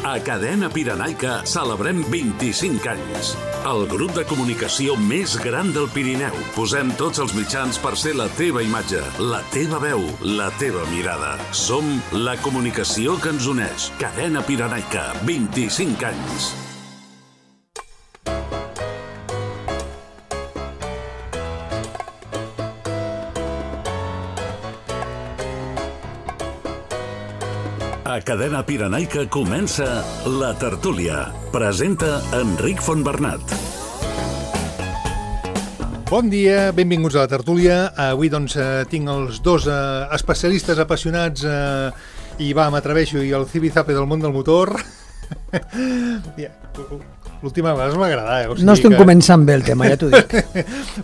A Cadena Pirenaica celebrem 25 anys. El grup de comunicació més gran del Pirineu. Posem tots els mitjans per ser la teva imatge, la teva veu, la teva mirada. Som la comunicació que ens uneix. Cadena Pirenaica, 25 anys. A Cadena Pirenaica comença La Tertúlia. Presenta Enric Fontbernat. Bon dia, benvinguts a La Tertúlia. Avui tinc els dos especialistes apassionats i m'atreveixo, i el zipizape del món del motor. L'última vegada m'ha agradat. O sigui no estem començant bé el tema, ja t'ho dic.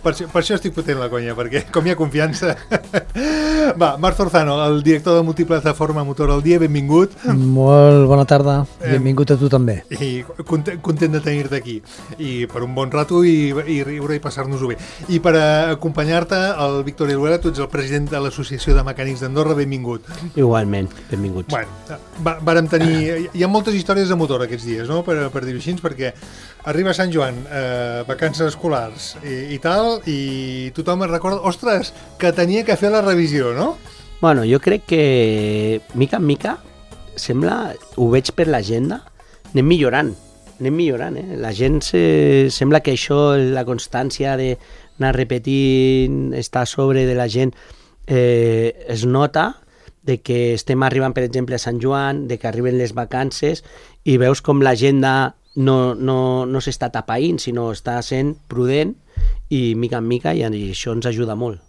per això estic fotent la conya, perquè com hi ha confiança... Va, Marc Zorzano, el director de Multiplataforma Motor al Dia, benvingut. Molt bona tarda, benvingut a tu també. I content de tenir-te aquí. I per un bon rato i riure i passar-nos-ho bé. I per acompanyar-te, el Víctor Iruela, tu ets el president de l'Associació de Mecànics d'Andorra, benvingut. Igualment, benvinguts. Bueno, vàrem tenir... Hi ha moltes històries de motor aquests dies, no?, per dir-ho així, perquè arriba Sant Joan, vacances escolars i tal, i tothom es recorda, ostres, que tenia que fer la revisió, no? Bueno, jo crec que mica en mica sembla, ho veig per l'agenda, anem millorant, La gent sembla que això, la constància d'anar repetint, estar a sobre de la gent, es nota de que estem arribant, per exemple, a Sant Joan, de que arriben les vacances i veus com l'agenda no s'està tapaïnt, sinó està sent prudent i mica en mica, i això ens ajuda molt.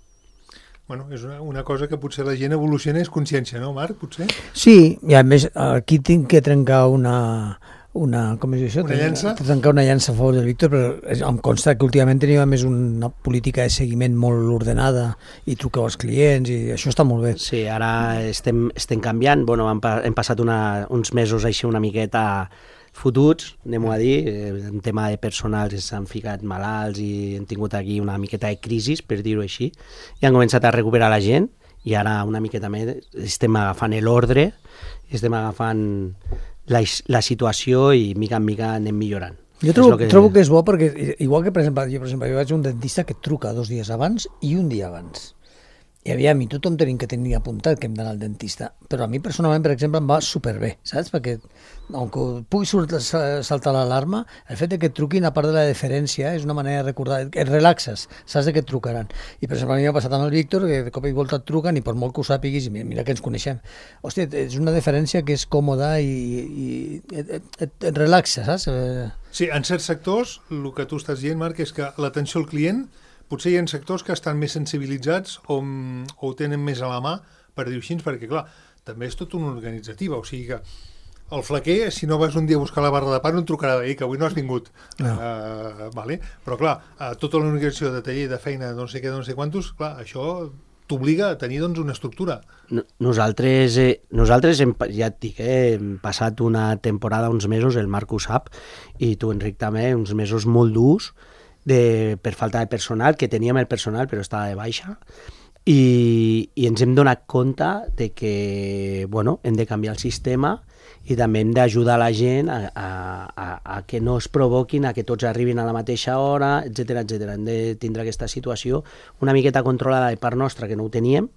Bueno, és una cosa que potser la gent evoluciona, és consciència, no, Marc, potser? Sí, i a més aquí tinc que trencar una com és això? Una llança? Trencar una llança a favor del Víctor, però em consta que últimament tenim més una política de seguiment molt ordenada i truqueu als clients i això està molt bé. Sí, ara estem canviant, bueno, hem passat uns mesos així una miqueta fotuts, anem-ho a dir, en tema de personal s'han ficat malalts i hem tingut aquí una miqueta de crisi, per dir-ho així, i han començat a recuperar la gent i ara una miqueta més estem agafant l'ordre, estem agafant la situació i mica en mica anem millorant. Jo trobo que és bo perquè, igual que per exemple, jo vaig a un dentista que et truca 2 dies abans i un dia abans. I aviam, i tothom tenim que tenir apuntat que hem d'anar al dentista, però a mi personalment, per exemple, em va superbé, saps? Perquè, aunque pugui saltar l'alarma, el fet que et truquin, a part de la deferència, és una manera de recordar, et relaxes, saps que et trucaran. I, per exemple, a mi m'ha passat amb el Víctor, que de cop i volta et truquen, i per molt que ho sàpiguis, mira que ens coneixem. Hòstia, és una deferència que és còmoda i et relaxa, saps? Sí, en certs sectors, el que tu estàs dient, Marc, és que l'atenció al client potser hi ha sectors que estan més sensibilitzats o ho tenen més a la mà, per dir-ho així, perquè, clar, també és tot una organitzativa, o sigui que el flaquer, si no vas un dia a buscar la barra de pa, no et trucarà que avui no has vingut. No. Vale? Però, clar, tota l'organització de taller, de feina, no sé què, no sé quantos, clar, això t'obliga a tenir una estructura. Nosaltres ja et dic, hem passat una temporada, uns mesos, el Marc ho sap, i tu, Enric, també, uns mesos molt durs, per falta de personal, que teníem el personal però estava de baixa, i ens hem donat compte de que hem de canviar el sistema i també hem d'ajudar la gent a que no es provoquin, a que tots arribin a la mateixa hora, etc. Hem de tindre aquesta situació una miqueta controlada de part nostra, que no ho teníem,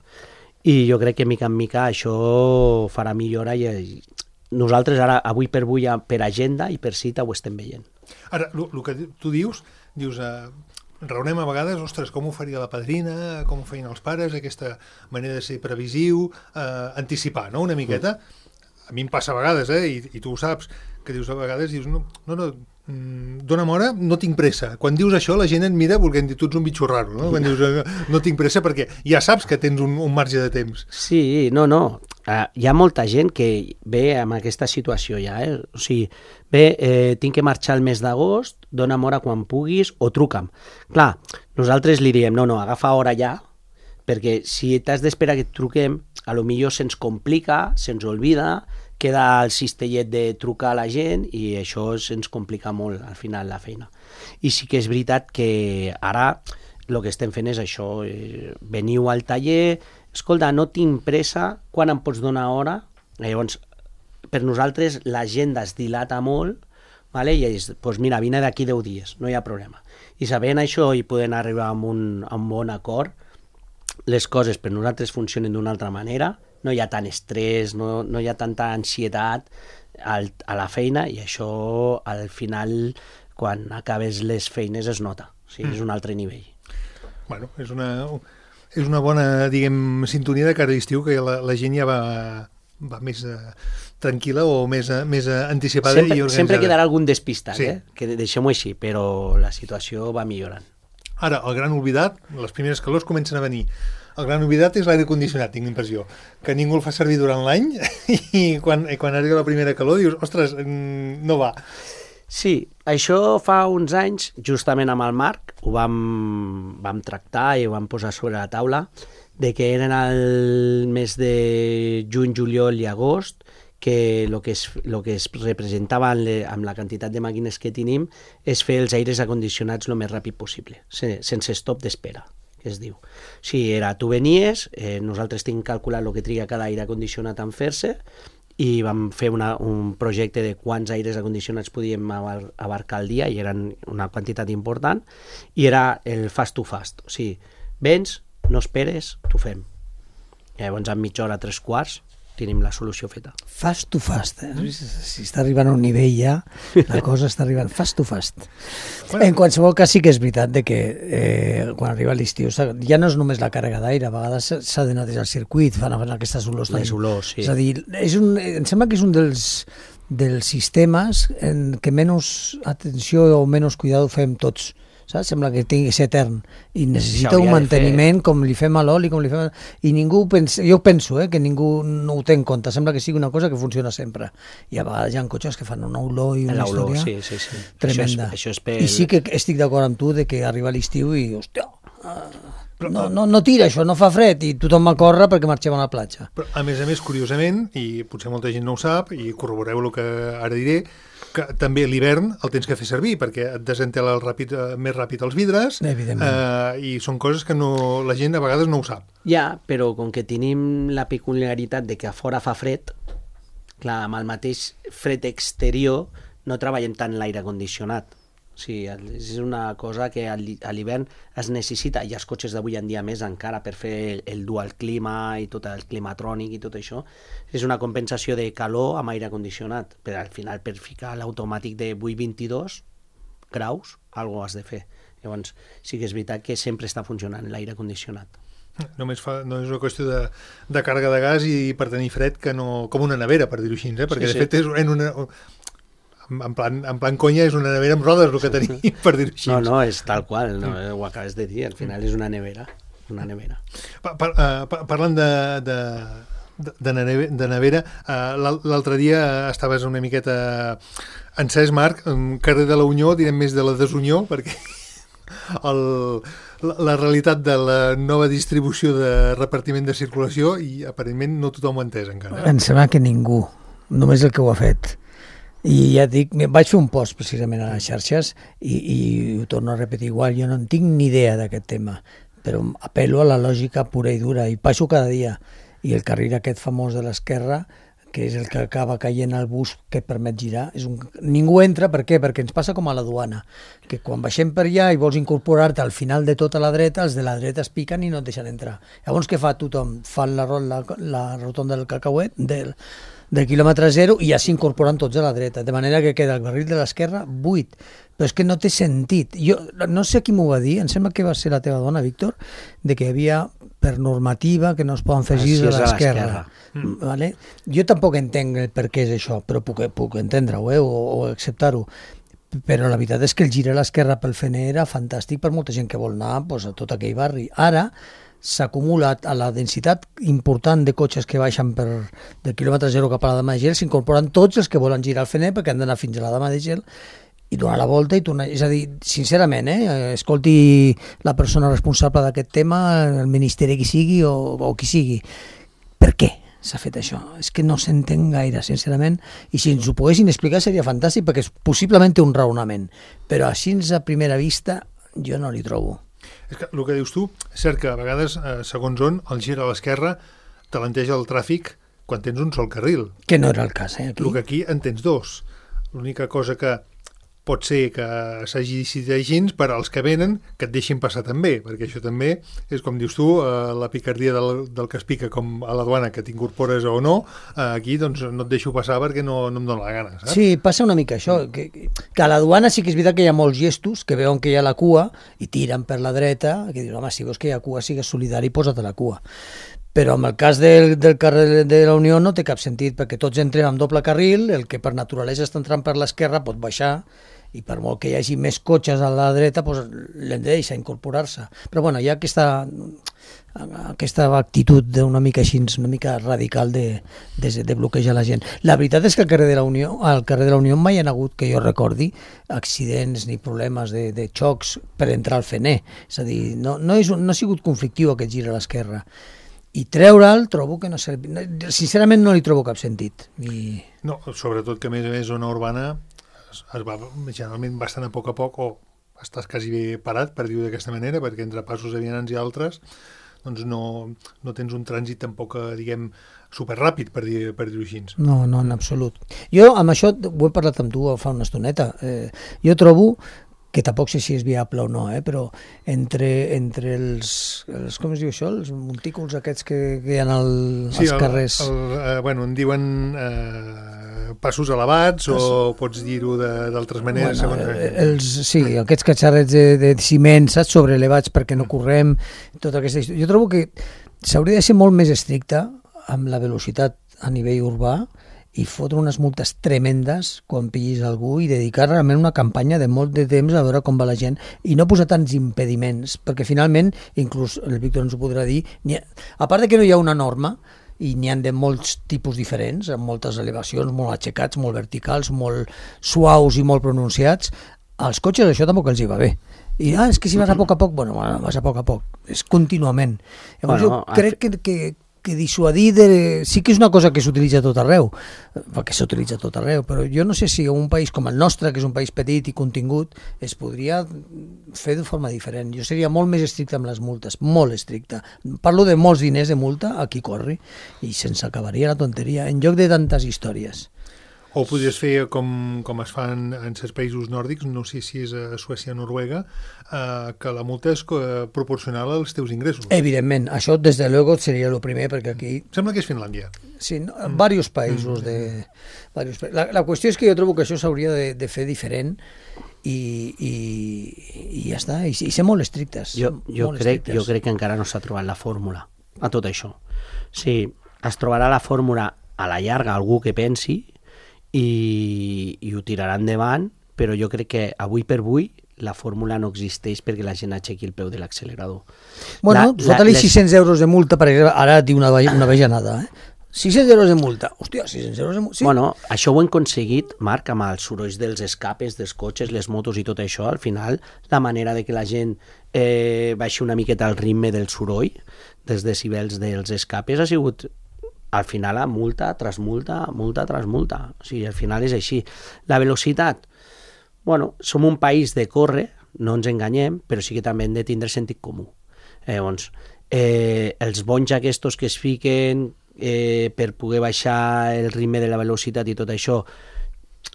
i jo crec que mica en mica això farà millora i nosaltres ara, avui per avui, per agenda i per cita ho estem veient. Ara, el que tu dius, raonem a vegades, ostres, com ho faria la padrina, com ho feien els pares, aquesta manera de ser previsiu, anticipar, no?, una miqueta. A mi em passa a vegades, i tu ho saps, que dius a vegades, no, dona'm hora, no tinc pressa. Quan dius això, la gent et mira volent dir, tu ets un bitxo raro, no? Quan dius, no tinc pressa, perquè ja saps que tens un marge de temps. Sí, no. Hi ha molta gent que ve amb aquesta situació ja, O sigui, tinc que marxar el mes d'agost, dona'm hora quan puguis o truca'm. Clar, nosaltres li diem, no, agafa hora ja, perquè si t'has d'esperar que et truquem, a lo millor se'ns complica, se'ns oblida, queda el cistellet de trucar a la gent i això se'ns complica molt al final la feina. I sí que és veritat que ara el que estem fent és això, veniu al taller, escolta, no tinc pressa, quan em pots donar hora? Llavors, per nosaltres l'agenda es dilata molt, vale? I és, doncs mira, vine d'aquí 10 dies, no hi ha problema. I sabent això i podent arribar a un bon acord, les coses per nosaltres funcionen d'una altra manera, no hi ha tant estrès, no hi ha tanta ansietat a la feina, i això al final, quan acabes les feines, es nota. O sigui, és un altre nivell. Bueno, és una bona, diguem, sintonia de cara a l'estiu, que la gent ja va més tranquil·la o més anticipada i organitzada. Sempre quedarà algun despistat, sí. Que deixem-ho així, però la situació va millorant. Ara, el gran oblidat, les primeres calors comencen a venir. El gran oblidat és l'aire condicionat, tinc l'impressió, que ningú el fa servir durant l'any i quan arriba la primera calor dius, ostres, no va. Sí, això fa uns anys, justament amb el Marc, ho vam tractar i ho vam posar sobre la taula, de que eren el mes de juny, juliol i agost, que el que es representava amb la quantitat de màquines que tenim és fer els aires acondicionats el més ràpid possible, sense stop d'espera, que es diu. O sigui, tu venies, nosaltres tenim calculat el que triga cada aire acondicionat en fer-se, i vam fer un projecte de quants aires acondicionats podíem abarcar al dia, i eren una quantitat important, i era el fast to fast. O sigui, vens, no esperes, t'ho fem. I llavors en mitja hora, 3/4, tenim la solució feta. Fast to fast, si està arribant a un nivell ja, la cosa està arribant fast to fast. En qualsevol cas sí que és veritat de que quan arriba l'estiu ja no és només la càrrega d'aire, a vegades s'ha de netejar el circuit, fan aquestes olors. Les olors, sí. És a dir, em sembla que és un dels sistemes en què menys atenció o menys cuidado fem tots. Saps? Sembla que tingui que ser etern i necessita un manteniment com li fem a l'oli, i ningú pensa, jo penso que ningú no ho té en compte, sembla que sigui una cosa que funciona sempre, i a vegades hi ha cotxes que fan una olor i una història tremenda. Això és I sí que estic d'acord amb tu de que arriba l'estiu i hòstia, no tira això, no fa fred, i tothom va córrer perquè marxem a la platja. Però, a més, curiosament, i potser molta gent no ho sap, i corroboreu el que ara diré, que també l'hivern el tens que fer servir perquè et desentela més ràpid els vidres, i són coses que la gent a vegades no ho sap. Ja, però com que tenim la peculiaritat de que a fora fa fred, clar, amb el mateix fred exterior no treballem tant l'aire condicionat. O sigui, és una cosa que a l'hivern es necessita, i els cotxes d'avui en dia més encara per fer el dual clima i tot el climatrònic i tot això, és una compensació de calor amb aire condicionat, però al final per ficar l'automàtic de 8-22 graus, alguna cosa has de fer. Llavors sí que és veritat que sempre està funcionant l'aire condicionat. No és una qüestió de càrrega de gas i per tenir fred, que no, com una nevera, per dir-ho així, perquè de fet és en plan conya, és una nevera amb rodes el que tenim, per dir-ho així. No, és tal qual, ho acabes de dir, al final és una nevera. Parlant de nevera, l'altre dia estaves una miqueta encès, Marc, carrer de la Unió, direm més de la desunió, perquè la realitat de la nova distribució de repartiment de circulació, i aparentment no tothom ho ha entès encara. Em sembla que ningú, només el que ho ha fet. I ja et dic, vaig fer un post precisament a les xarxes i ho torno a repetir igual, jo no en tinc ni idea d'aquest tema, però apel·lo a la lògica pura i dura, i passo cada dia, i el carril aquest famós de l'esquerra, que és el que acaba caient al bus que permet girar, ningú entra, per què? Perquè ens passa com a la duana, que quan baixem per allà i vols incorporar-te al final de tota la dreta, els de la dreta es piquen i no et deixen entrar. Llavors què fa tothom? Fan la rotonda del cacauet, del quilòmetre zero, i ja s'incorporen tots a la dreta, de manera que queda el carril de l'esquerra buit. Però és que no té sentit. Jo no sé qui m'ho va dir, em sembla que va ser la teva dona, Víctor, de que hi havia per normativa que no es poden fer girs a l'esquerra. Vale? Jo tampoc entenc el per què és això, però puc entendre-ho o acceptar-ho. Però la veritat és que el gir a l'esquerra pel Fener era fantàstic per molta gent que vol anar a tot aquell barri. Ara s'ha acumulat a la densitat important de cotxes que baixen del quilòmetre zero cap a la Dama de Gel, s'incorporen tots els que volen girar al Fener perquè han d'anar fins a la Dama de Gel i donar la volta i tornar. És a dir, sincerament, escolti la persona responsable d'aquest tema, el ministeri qui sigui o qui sigui. Per què s'ha fet això? És que no s'entén gaire, sincerament, i si ens ho poguessin explicar seria fantàstic, perquè possiblement té un raonament, però així a primera vista jo no li trobo. És que el que dius tu, és cert que a vegades, segons on, el gir a l'esquerra talenteja el tràfic quan tens un sol carril. Que no era el cas, aquí. El que aquí en tens dos. L'única cosa que pot ser que s'hagi decidit així per als que venen que et deixin passar també, perquè això també és, com dius tu, la picardia del que es pica com a la duana, que t'incorpores o no, aquí doncs no et deixo passar perquè no em dóna la gana, saps? Sí, passa una mica això, que a la duana sí que és veritat que hi ha molts gestos que veuen que hi ha la cua i tiren per la dreta, que diuen, home, si veus que hi ha cua, sigues solidari i posa't a la cua. Però en el cas del carrer de la Unió no té cap sentit, perquè tots entrem amb doble carril, el que per naturalesa està entrant per l'esquerra pot baixar, i per molt que hi hagi més cotxes a la dreta, doncs l'hem de deixar incorporar-se. Però bueno, hi ha aquesta actitud d'una mica així, una mica radical de bloquejar la gent. La veritat és que al carrer de la Unió mai hi ha hagut, que jo recordi, accidents ni problemes de xocs per entrar al Fener. És a dir, no ha sigut conflictiu aquest gir a l'esquerra. I treure'l trobo que no serveix. Sincerament no li trobo cap sentit. No, sobretot que a més zona urbana es va generalment bastant a poc, o estàs quasi bé parat, per dir-ho d'aquesta manera, perquè entre passos de vianants i altres doncs no tens un trànsit tampoc, diguem, superràpid, per dir-ho així. No, en absolut. Jo amb això ho he parlat amb tu fa una estoneta. Jo trobo que tampoc sé si és viable o no, però entre els com es diu això, els montículs aquests que hi ha als carrers. Bueno, en diuen passos elevats, o pots dir-ho d'altres maneres. Sí, aquests catxarrets de ciment, saps, sobreelevats perquè no correm, tota aquesta història. Jo trobo que s'hauria de ser molt més estricte amb la velocitat a nivell urbà i fotre unes multes tremendes quan pillis algú i dedicar realment una campanya de molt de temps a veure com va la gent i no posar tants impediments, perquè finalment, inclús el Víctor ens ho podrà dir, a part de que no hi ha una norma, i n'hi ha de molts tipus diferents, amb moltes elevacions, molt aixecats, molt verticals, molt suaus i molt pronunciats, als cotxes això tampoc els hi va bé. I és que si vas a poc, bueno, vas a poc, és contínuament. Llavors jo crec que dissuadir sí que és una cosa que s'utilitza a tot arreu, perquè s'utilitza a tot arreu, però jo no sé si un país com el nostre, que és un país petit i contingut, es podria fer de forma diferent. Jo seria molt més estricte amb les multes, molt estricte. Parlo de molts diners de multa a qui corri i se'ns acabaria la tonteria, en lloc de tantes històries. O podries fer com es fa en certs països nòrdics, no sé si és a Suècia o Noruega, que la multa és proporcional als teus ingressos. Evidentment, això des de luego seria el primer, perquè aquí... Sembla que és Finlàndia. Sí, en diversos països. La qüestió és que jo trobo que això s'hauria de fer diferent i ja està, i ser molt estrictes. Jo crec que encara no s'ha trobat la fórmula a tot això. Sí, es trobarà la fórmula a la llarga, algú que pensi, i ho tirarà endavant, però jo crec que avui per avui la fórmula no existeix perquè la gent aixequi el peu de l'accelerador. Bueno, fota-li 600 euros de multa, per exemple, ara et diu una bajanada, 600 euros de multa, hòstia, 600 euros de multa. Sí. Bueno, això ho hem aconseguit, Marc, amb els sorolls dels escapes, dels cotxes, les motos i tot això. Al final, la manera de que la gent baixi una miqueta el ritme del soroll, dels decibels dels escapes, ha sigut... Al final, multa tras multa, multa tras multa. O sigui, al final és així. La velocitat, bueno, som un país de córrer, no ens enganyem, però sí que també hem de tindre sentit comú. Llavors, els bonys aquests que es fiquen per poder baixar el ritme de la velocitat i tot això,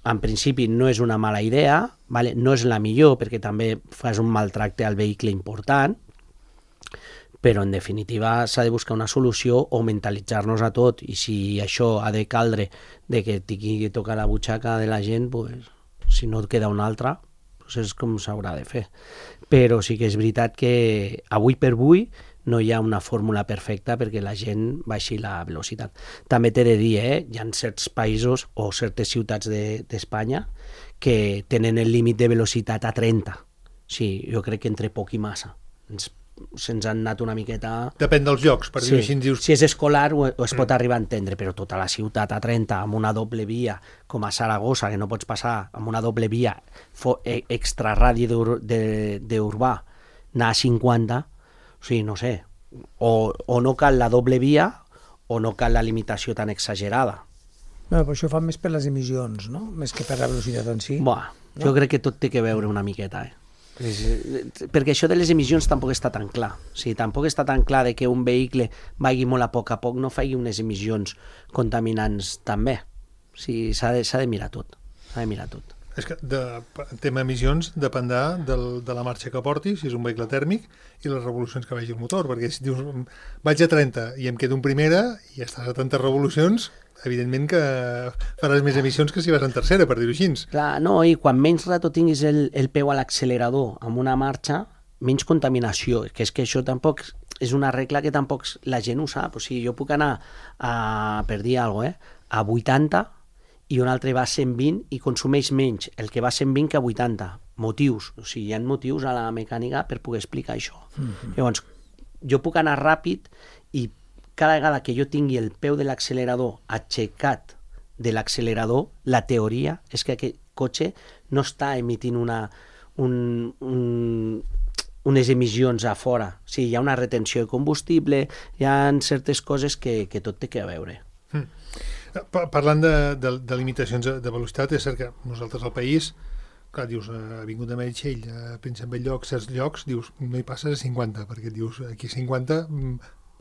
en principi no és una mala idea, vale? No és la millor perquè també fas un maltracte al vehicle important, però en definitiva s'ha de buscar una solució o mentalitzar-nos a tot, i si això ha de caldre de que tingui que tocar la butxaca de la gent, pues, si no et queda una altra, pues és com s'haurà de fer. Però sí que és veritat que avui per avui no hi ha una fórmula perfecta perquè la gent baixi la velocitat. També t'he de dir, hi ha certs països o certes ciutats d'Espanya que tenen el límit de velocitat a 30. Sí, jo crec que entre poc i massa. Se'ns han anat una miqueta... Depèn dels llocs, per dir-ho així. Si és escolar o es pot arribar a entendre, però tota la ciutat a 30 amb una doble via, com a Saragossa, que no pots passar amb una doble via extra radi d'urbà, anar a 50, o sigui, no sé, o no cal la doble via o no cal la limitació tan exagerada. No, però això fa més per les emissions, no? Més que per la velocitat en si. Jo crec que tot té que veure una miqueta, Perquè això de les emissions tampoc està tan clar. O sigui, tampoc està tan clar de que un vehicle vagi molt a poc no faci unes emissions contaminants també. O sigui, s'ha de mirar tot. S'ha de mirar tot. És que el tema emissions dependrà de la marxa que porti, si és un vehicle tèrmic, i les revolucions que vagi el motor, perquè si dius vaig a 30 i em quedo en primera i estàs a tantes revolucions, evidentment que faràs més emissions que si vas en tercera, per dir-ho així. Clar, no, i quan menys rato tinguis el peu a l'accelerador amb una marxa, menys contaminació, que és que això tampoc és una regla que tampoc la gent ho sap. O sigui, jo puc anar per dir alguna cosa, a 80 i un altre va a 120 i consumeix menys el que va a 120 que a 80. Motius. O sigui, hi ha motius a la mecànica per poder explicar això. Llavors, jo puc anar ràpid i cada vegada que jo tingui el peu de l'accelerador aixecat de l'accelerador, la teoria és que aquest cotxe no està emitint unes emissions a fora. O sigui, hi ha una retenció de combustible, hi ha certes coses que tot té que veure. Parlant de limitacions de velocitat, és cert que nosaltres al país, clar, dius, Avinguda Meritxell, a Príncep Bell-lloc, certs llocs, dius, no hi passes a 50, perquè dius, aquí 50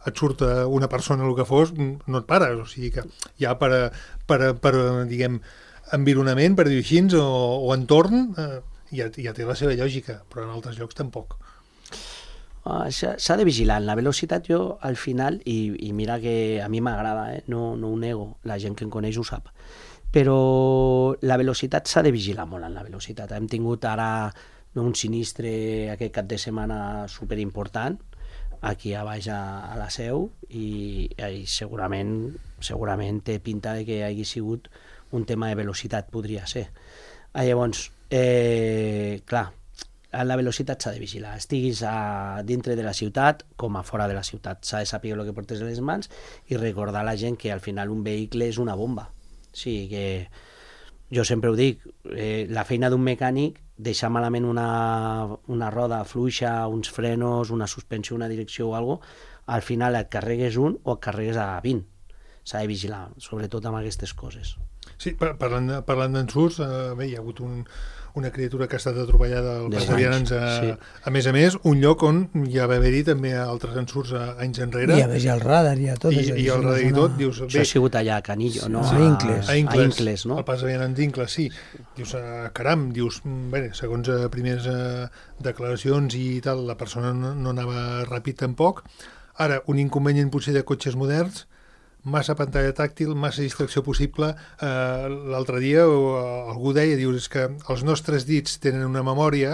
et surt una persona el que fos, no et pares, o sigui que ja per diguem, environament, per dir-ho així, o entorn, ja té la seva lògica, però en altres llocs tampoc. S'ha de vigilar. La velocitat jo al final, i mira que a mi m'agrada, no ho nego, la gent que em coneix ho sap, però la velocitat s'ha de vigilar molt en la velocitat. Hem tingut ara un sinistre aquest cap de setmana superimportant aquí a baix a la Seu i segurament té pinta de que hagi sigut un tema de velocitat, podria ser. Llavors, clar, la velocitat s'ha de vigilar, estiguis dintre de la ciutat com a fora de la ciutat. S'ha de saber el que portes a les mans i recordar a la gent que al final un vehicle és una bomba. O sigui que jo sempre ho dic, la feina d'un mecànic, deixar malament una roda fluixa, uns frenos, una suspensió, una direcció o alguna cosa, al final et carregues un o et carregues a 20. S'ha de vigilar, sobretot amb aquestes coses. Sí, parlant d'ensurts, bé, hi ha hagut una criatura que ha estat atropellada al pas de vianants, a més, un lloc on ja va haver-hi també altres ensurts anys enrere. I a més hi ha el radar, hi ha tot. I el radar i tot, dius... Això ha sigut allà a Canillo, no? A Incles. A Incles, no? Al pas de vianants d'Incles, sí. Dius, caram, dius, bé, segons primeres declaracions i tal, la persona no anava ràpid tampoc. Ara, un inconvenient potser de cotxes moderns, massa pantalla tàctil, massa distracció possible. L'altre dia algú deia, dius, és que els nostres dits tenen una memòria,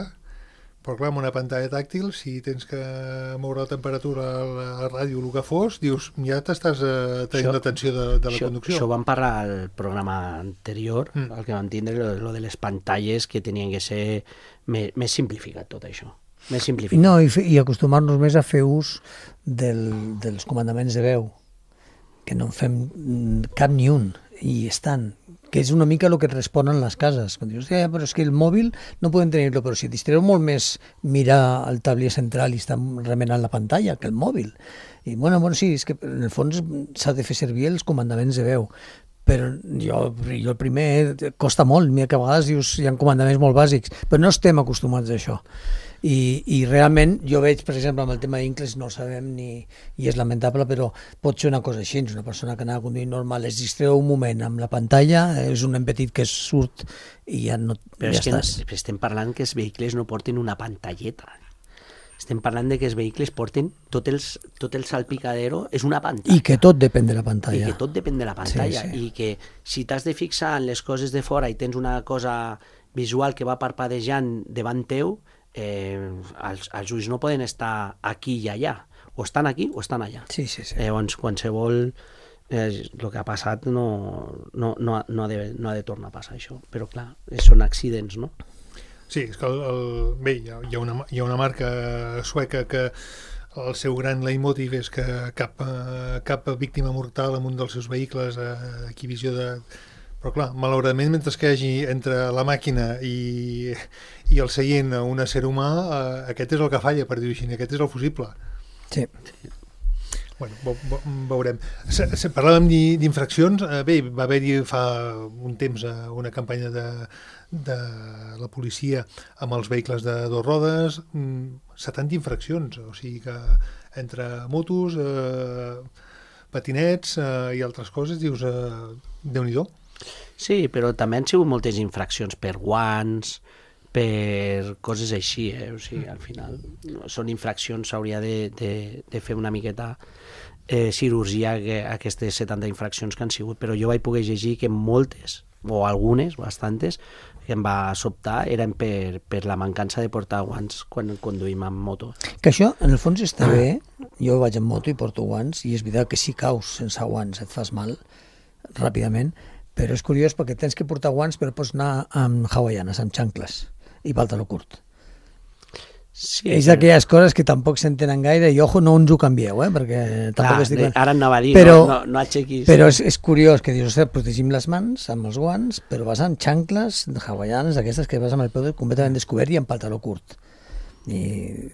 però clar, amb una pantalla tàctil, si tens que moure la temperatura, la ràdio, el que fos, dius, ja t'estàs tenint l'atenció de la conducció. Això vam parlar al programa anterior, el que vam tindre, lo de les pantalles, que tenien que ser més simplificat tot això. Més simplificat. No, i acostumar-nos més a fer ús dels comandaments de veu, que no en fem cap ni un, i estan, que és una mica el que et responen les cases. Quan dius, però és que el mòbil no podem tenir-lo, però si distreu molt més mirar el tablier central i estar remenant la pantalla que el mòbil. I bueno, sí, és que en el fons s'ha de fer servir els comandaments de veu, però jo el primer costa molt, mira que a vegades dius, hi ha comandaments molt bàsics, però no estem acostumats a això. I realment jo veig, per exemple, amb el tema d'Incles, no ho sabem i és lamentable, però pot ser una cosa així, una persona que anava conduint normal, es distreu un moment amb la pantalla, és un nen petit que surt i ja no... Però ja és que estàs. estem parlant que els vehicles no portin una pantalleta. Estem parlant de que els vehicles porten tot el salpicadero, és una pantalla. I que tot depèn de la pantalla. I que tot depèn de la pantalla. Sí. I que si t'has de fixar en les coses de fora i tens una cosa visual que va parpadejant davant teu, els ulls no poden estar aquí i allà. O estan aquí o estan allà. Sí. Llavors, qualsevol... el que ha passat no ha de tornar a passar això. Però clar, són accidents, no? Sí, és que bé, hi ha una marca sueca que el seu gran leitmotiv és que cap víctima mortal en un dels seus vehicles, aquí visió de... Però clar, malauradament, mentre que hi hagi entre la màquina i el seient un ésser humà, aquest és el que falla, per dir-ho així, aquest és el fusible. Sí. Bueno, veurem. Parlàvem d'infraccions. Bé, va haver-hi fa un temps una campanya de la policia amb els vehicles de 2 rodes, 70 infraccions, o sigui que entre motos, patinets i altres coses, dius, Déu-n'hi-do. Sí, però també han sigut moltes infraccions per guants, per coses així, o sigui, al final són infraccions, s'hauria de fer una miqueta cirurgia aquestes 70 infraccions que han sigut, però jo vaig poder llegir que moltes, o algunes, bastantes, que em va sobtar eren per la mancança de portar guants quan conduïm amb moto. Que això, en el fons, està bé. Jo vaig en moto i porto guants, i és veritat que si caus sense guants et fas mal ràpidament, però és curiós perquè tens que portar guants però pots anar amb hawaianes, amb xancles i pantaló curt. Sí, és d'aquelles coses que tampoc s'entenen gaire i ojo, no ens ho canvieu, perquè tampoc estic... Ara anava a dir, però, no aixequis... Però és curiós que dius, protegim les mans amb els guants, però vas amb xancles hawaianes, aquestes que vas amb el peu completament descobert i amb pantaló curt. I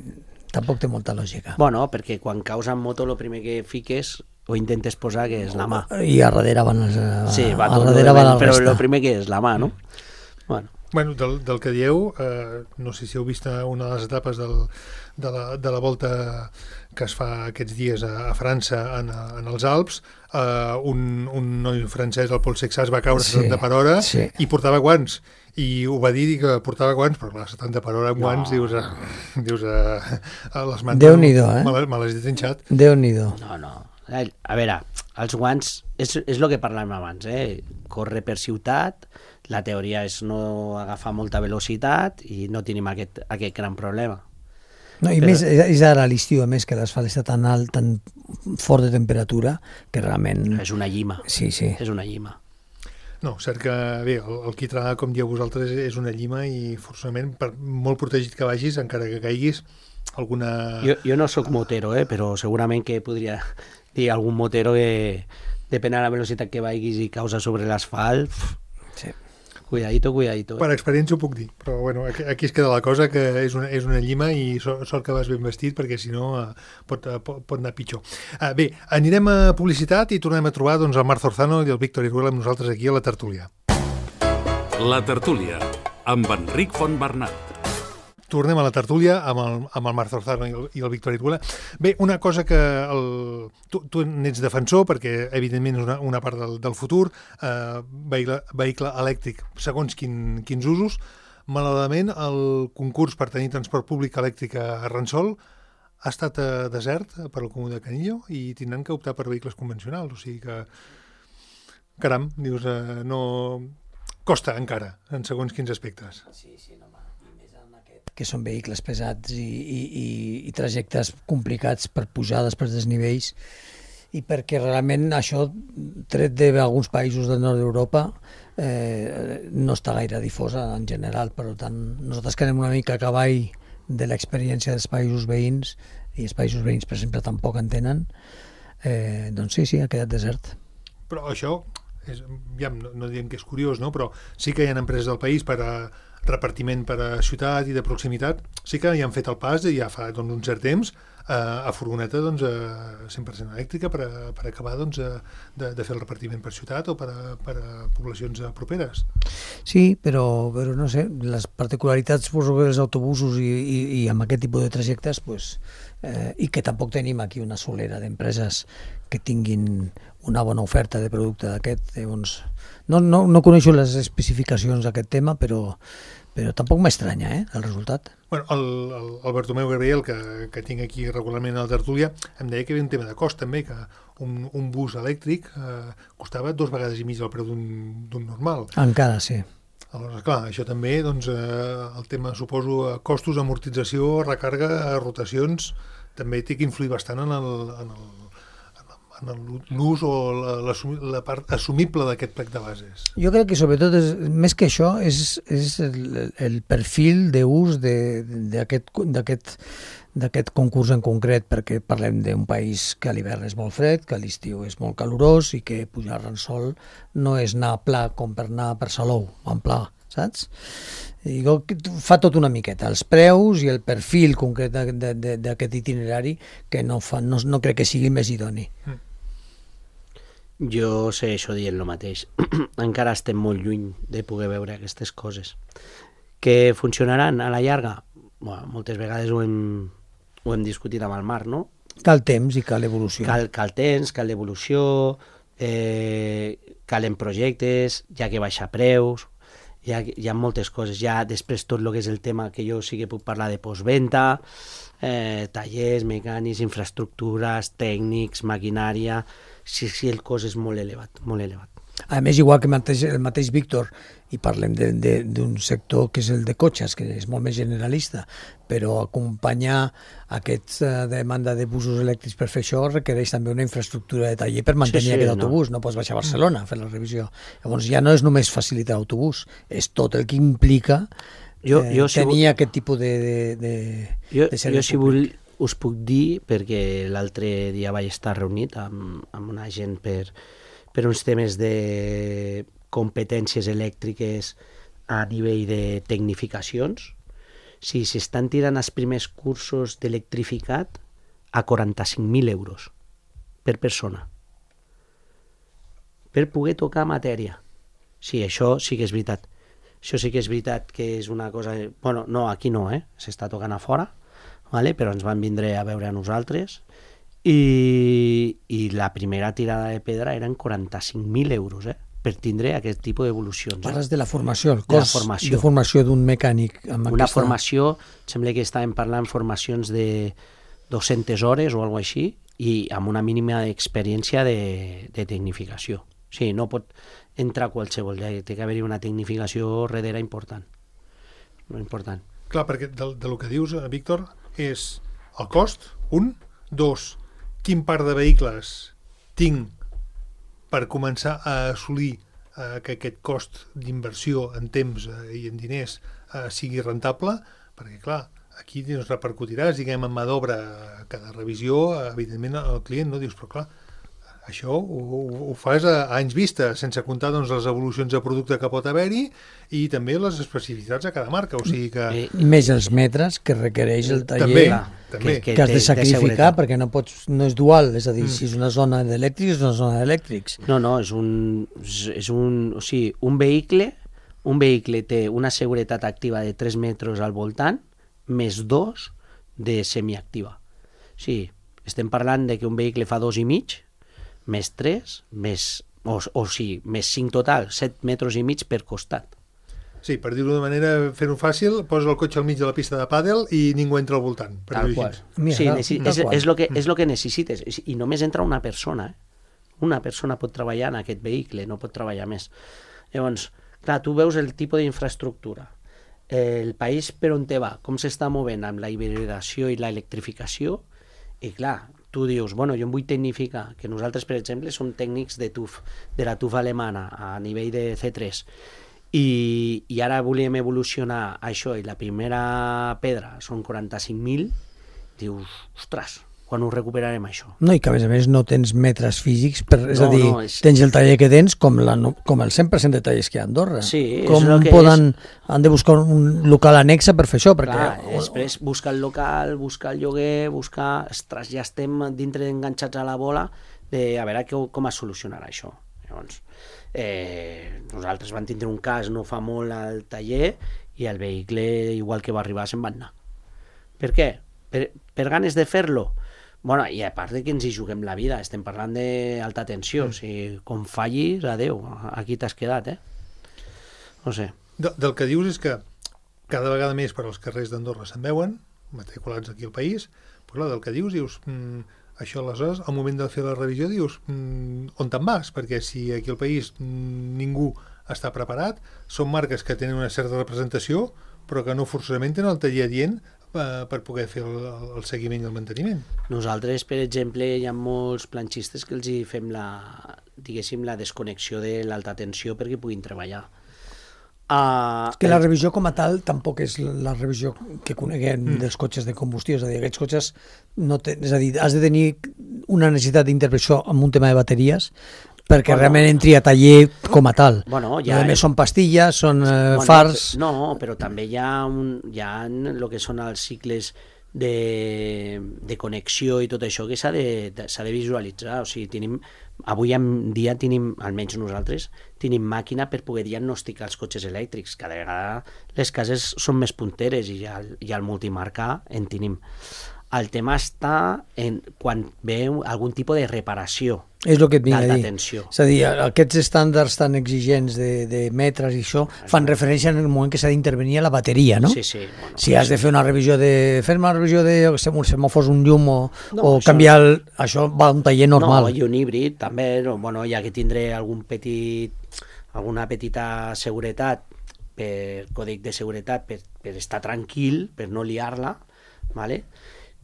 tampoc té molta lògica. Bueno, perquè quan caus amb moto el primer que fiques o intentes posar que és la mà. I a darrere van les... Sí, va a darrere van la però resta. el primer que és la mà, no? Bueno, del que dieu, no sé si heu vist una de les etapes de la volta que es fa aquests dies a França en els Alps, un noi francès, el Paul Sexas, va caure 70 per hora i portava guants. I ho va dir que portava guants, però clar, 70 per hora amb guants, dius a les mans... Déu-n'hi-do, me l'has trinxat. Déu-n'hi-do. No. A veure, els guants, és el que parlàvem abans, córrer per ciutat, la teoria és no agafar molta velocitat i no tenim aquest gran problema. No, i més, és ara a l'estiu, a més, que l'asfalt està tan alt, tan fort de temperatura, que realment... És una llima. Sí. És una llima. No, cert que, bé, el quitrà, com dieu vosaltres, és una llima i forçosament, per molt protegit que vagis, encara que caiguis, alguna... Jo no sóc motero, però segurament que podria dir algun motero que, depèn de la velocitat que vagis i causa sobre l'asfalt... Sí. Cuidadito. Per experiència ho puc dir, però bueno, aquí es queda la cosa, que és una llima i sort que vas ben vestit, perquè si no pot anar pitjor. Bé, anirem a publicitat i tornem a trobar el Marc Zorzano i el Víctor Iruela amb nosaltres aquí a la tertúlia. La tertúlia, amb Enric Fontbernat. Tornem a la tertúlia amb el Marc Zorzano i el Víctor Iruela. Bé, una cosa que tu n'ets defensor, perquè evidentment és una part del futur, vehicle elèctric, segons quins usos. Malauradament, el concurs per tenir transport públic elèctric a Ransol ha estat desert per al Comú de Canillo i tindran que optar per vehicles convencionals. O sigui que, caram, dius, no... costa encara, en segons quins aspectes. Sí, no, que són vehicles pesats i trajectes complicats per pujades, per desnivells, i perquè realment això, tret d'alguns països del nord d'Europa, no està gaire difosa en general. Per tant, nosaltres que anem una mica a cavall de l'experiència dels països veïns, i els països veïns, per exemple, tampoc en tenen, doncs sí, ha quedat desert. Però això, no diem que és curiós, no? Però sí que hi ha empreses del país per a repartiment per a ciutat i de proximitat, sí que ja han fet el pas ja fa un cert temps a furgoneta 100% elèctrica per acabar de fer el repartiment per ciutat o per a poblacions properes. Sí, però no sé, les particularitats dels autobusos i amb aquest tipus de trajectes, i que tampoc tenim aquí una solera d'empreses que tinguin una bona oferta de producte d'aquest. No coneixo les especificacions d'aquest tema, però tampoc m'estranya el resultat. Bueno, el Bartomeu Gabriel, que tinc aquí regularment a la tertúlia, em deia que hi havia un tema de cost també, que un bus elèctric costava 2 vegades i mig el preu d'un normal. Encara, sí. Aleshores, clar, això també, el tema, suposo, costos, amortització, recàrrega, rotacions, també té que influir bastant en l'ús o la part assumible d'aquest plec de bases. Jo crec que sobretot, més que això, és el perfil d'ús d'aquest concurs en concret, perquè parlem d'un país que a l'hivern és molt fred, que a l'estiu és molt calorós i que pujar a Ransol no és anar pla com per anar per Salou, en pla, saps? Fa tot una miqueta, els preus i el perfil concret d'aquest itinerari que no crec que sigui més idoni. Jo segueixo dient el mateix. Encara estem molt lluny de poder veure aquestes coses. Que funcionaran a la llarga? Bueno, moltes vegades ho hem discutit amb el Marc, no? Cal temps i cal evolució. Cal temps, cal evolució, calen projectes, hi ha que baixar preus, hi ha moltes coses. Ja després tot el que és el tema que jo sí que puc parlar de postventa, tallers, mecànics, infraestructures, tècnics, maquinària, sí, el cost és molt elevat, molt elevat. A més, igual que el mateix Víctor, i parlem d'un sector que és el de cotxes, que és molt més generalista, però acompanyar aquesta demanda de busos elèctrics per fer això requereix també una infraestructura de taller per mantenir aquest autobús. No pots baixar a Barcelona a fer la revisió. Llavors ja no és només facilitar l'autobús, és tot el que implica tenir aquest tipus de servei si vull, us puc dir, perquè l'altre dia vaig estar reunit amb una gent per uns temes de competències elèctriques a nivell de tecnificacions. Si s'estan tirant els primers cursos d'electrificat a 45.000 euros per persona per poder tocar matèria. Sí, això sí que és veritat. Això sí que és veritat que és una cosa... Bueno, no, aquí no, s'està tocant a fora, vale? Però ens van vindre a veure a nosaltres i la primera tirada de pedra eren 45.000 euros, per tindre aquest tipus d'evolucions. Parles de la formació, el cost de formació d'un mecànic. Una formació, sembla que estàvem parlant formacions de 200 hores o alguna cosa així, i amb una mínima experiència de tecnificació. Sí, no pot entrar qualsevol, té que haver-hi una tecnificació darrere important. Important. Clar, perquè del que dius, Víctor, és el cost, 1, 2, quin parc de vehicles tinc per començar a assolir que aquest cost d'inversió en temps i en diners sigui rentable, perquè clar, aquí doncs, repercutiràs, diguem, en mà d'obra cada revisió, evidentment el client no dius, però clar, això ho fas a anys vista, sense comptar doncs, les evolucions de producte que pot haver-hi i també les especificitats a cada marca, o sigui que... Més els metres que requereix el taller també. Que has de sacrificar perquè no és dual, és a dir, si és una zona d'elèctrics és una zona d'elèctrics. No, o sigui, un vehicle té una seguretat activa de 3 metres al voltant més 2 de semiactiva. O sigui, estem parlant de que un vehicle fa 2,5 més 3, més 5 total, 7 metres i mig per costat. Sí, per dir-ho de manera, fer-ho fàcil, posa el cotxe al mig de la pista de pàdel i ningú entra al voltant. Tal qual. Sí, és el que necessites. I només entra una persona. Una persona pot treballar en aquest vehicle, no pot treballar més. Llavors, clar, tu veus el tipus d'infraestructura, el país per on te va, com s'està movent amb la hibridació i l'electrificació, i clar, tu dius, bueno, jo em vull tecnificar, que nosaltres, per exemple, som tècnics de TUF, de la TUF alemana, a nivell de C3, i ara volíem evolucionar això, i la primera pedra són 45.000, dius, ostres, quan ho recuperarem això? No, i que a més no tens metres físics, tens el taller que tens com el 100% de tallers que hi ha a Andorra. Sí, com han de buscar un local annexe per fer això? Clar, després buscar el local, buscar el lloguer, ostres, ja estem dintre enganxats a la bola de a veure com es solucionarà això. Llavors, nosaltres vam tindre un cas no fa molt al taller i el vehicle, igual que va arribar, se'n va anar. Per què? Per ganes de fer-lo? Bueno, i a part de que ens hi juguem la vida, estem parlant d'alta tensió, o sigui, com fallis, adeu, aquí t'has quedat, No sé. Del que dius és que cada vegada més per als carrers d'Andorra se'n veuen, matriculats aquí al país, però clar, del que dius, això aleshores, al moment de fer la revisió, dius, on te'n vas? Perquè si aquí al país ningú està preparat, són marques que tenen una certa representació, però que no forçosament tenen el taller adient per poder fer el seguiment i el manteniment. Nosaltres, per exemple, hi ha molts planxistes que els hi fem la desconnexió de l'alta tensió perquè puguin treballar. Que la revisió com a tal tampoc és la revisió que coneguem dels cotxes de combustió, és a dir, aquests cotxes no és a dir, has de tenir una necessitat d'intervenció amb un tema de bateries perquè realment entri a taller com a tal. Bueno, ja... A més són pastilles, són fars... No, però també hi ha el que són els cicles de connexió i tot això que s'ha de visualitzar. O sigui, avui en dia tenim, almenys nosaltres, tenim màquina per poder diagnosticar els cotxes elèctrics. Cada vegada les cases són més punteres i ja el multimarca en tenim. El tema està quan ve algun tipus de reparació. És el que et vinc a dir. Tensió. És a dir, aquests estàndards tan exigents de metres i això fan referència en el moment que s'ha d'intervenir a la bateria, no? Sí, sí. Bueno, si has de fer una revisió fer-me una revisió de semàfors, un llum o canviar... Això va a un taller normal. No, i un híbrid també, bueno, hi ha que tindre alguna petita seguretat, per còdic de seguretat, per estar tranquil, per no liar-la, ¿vale?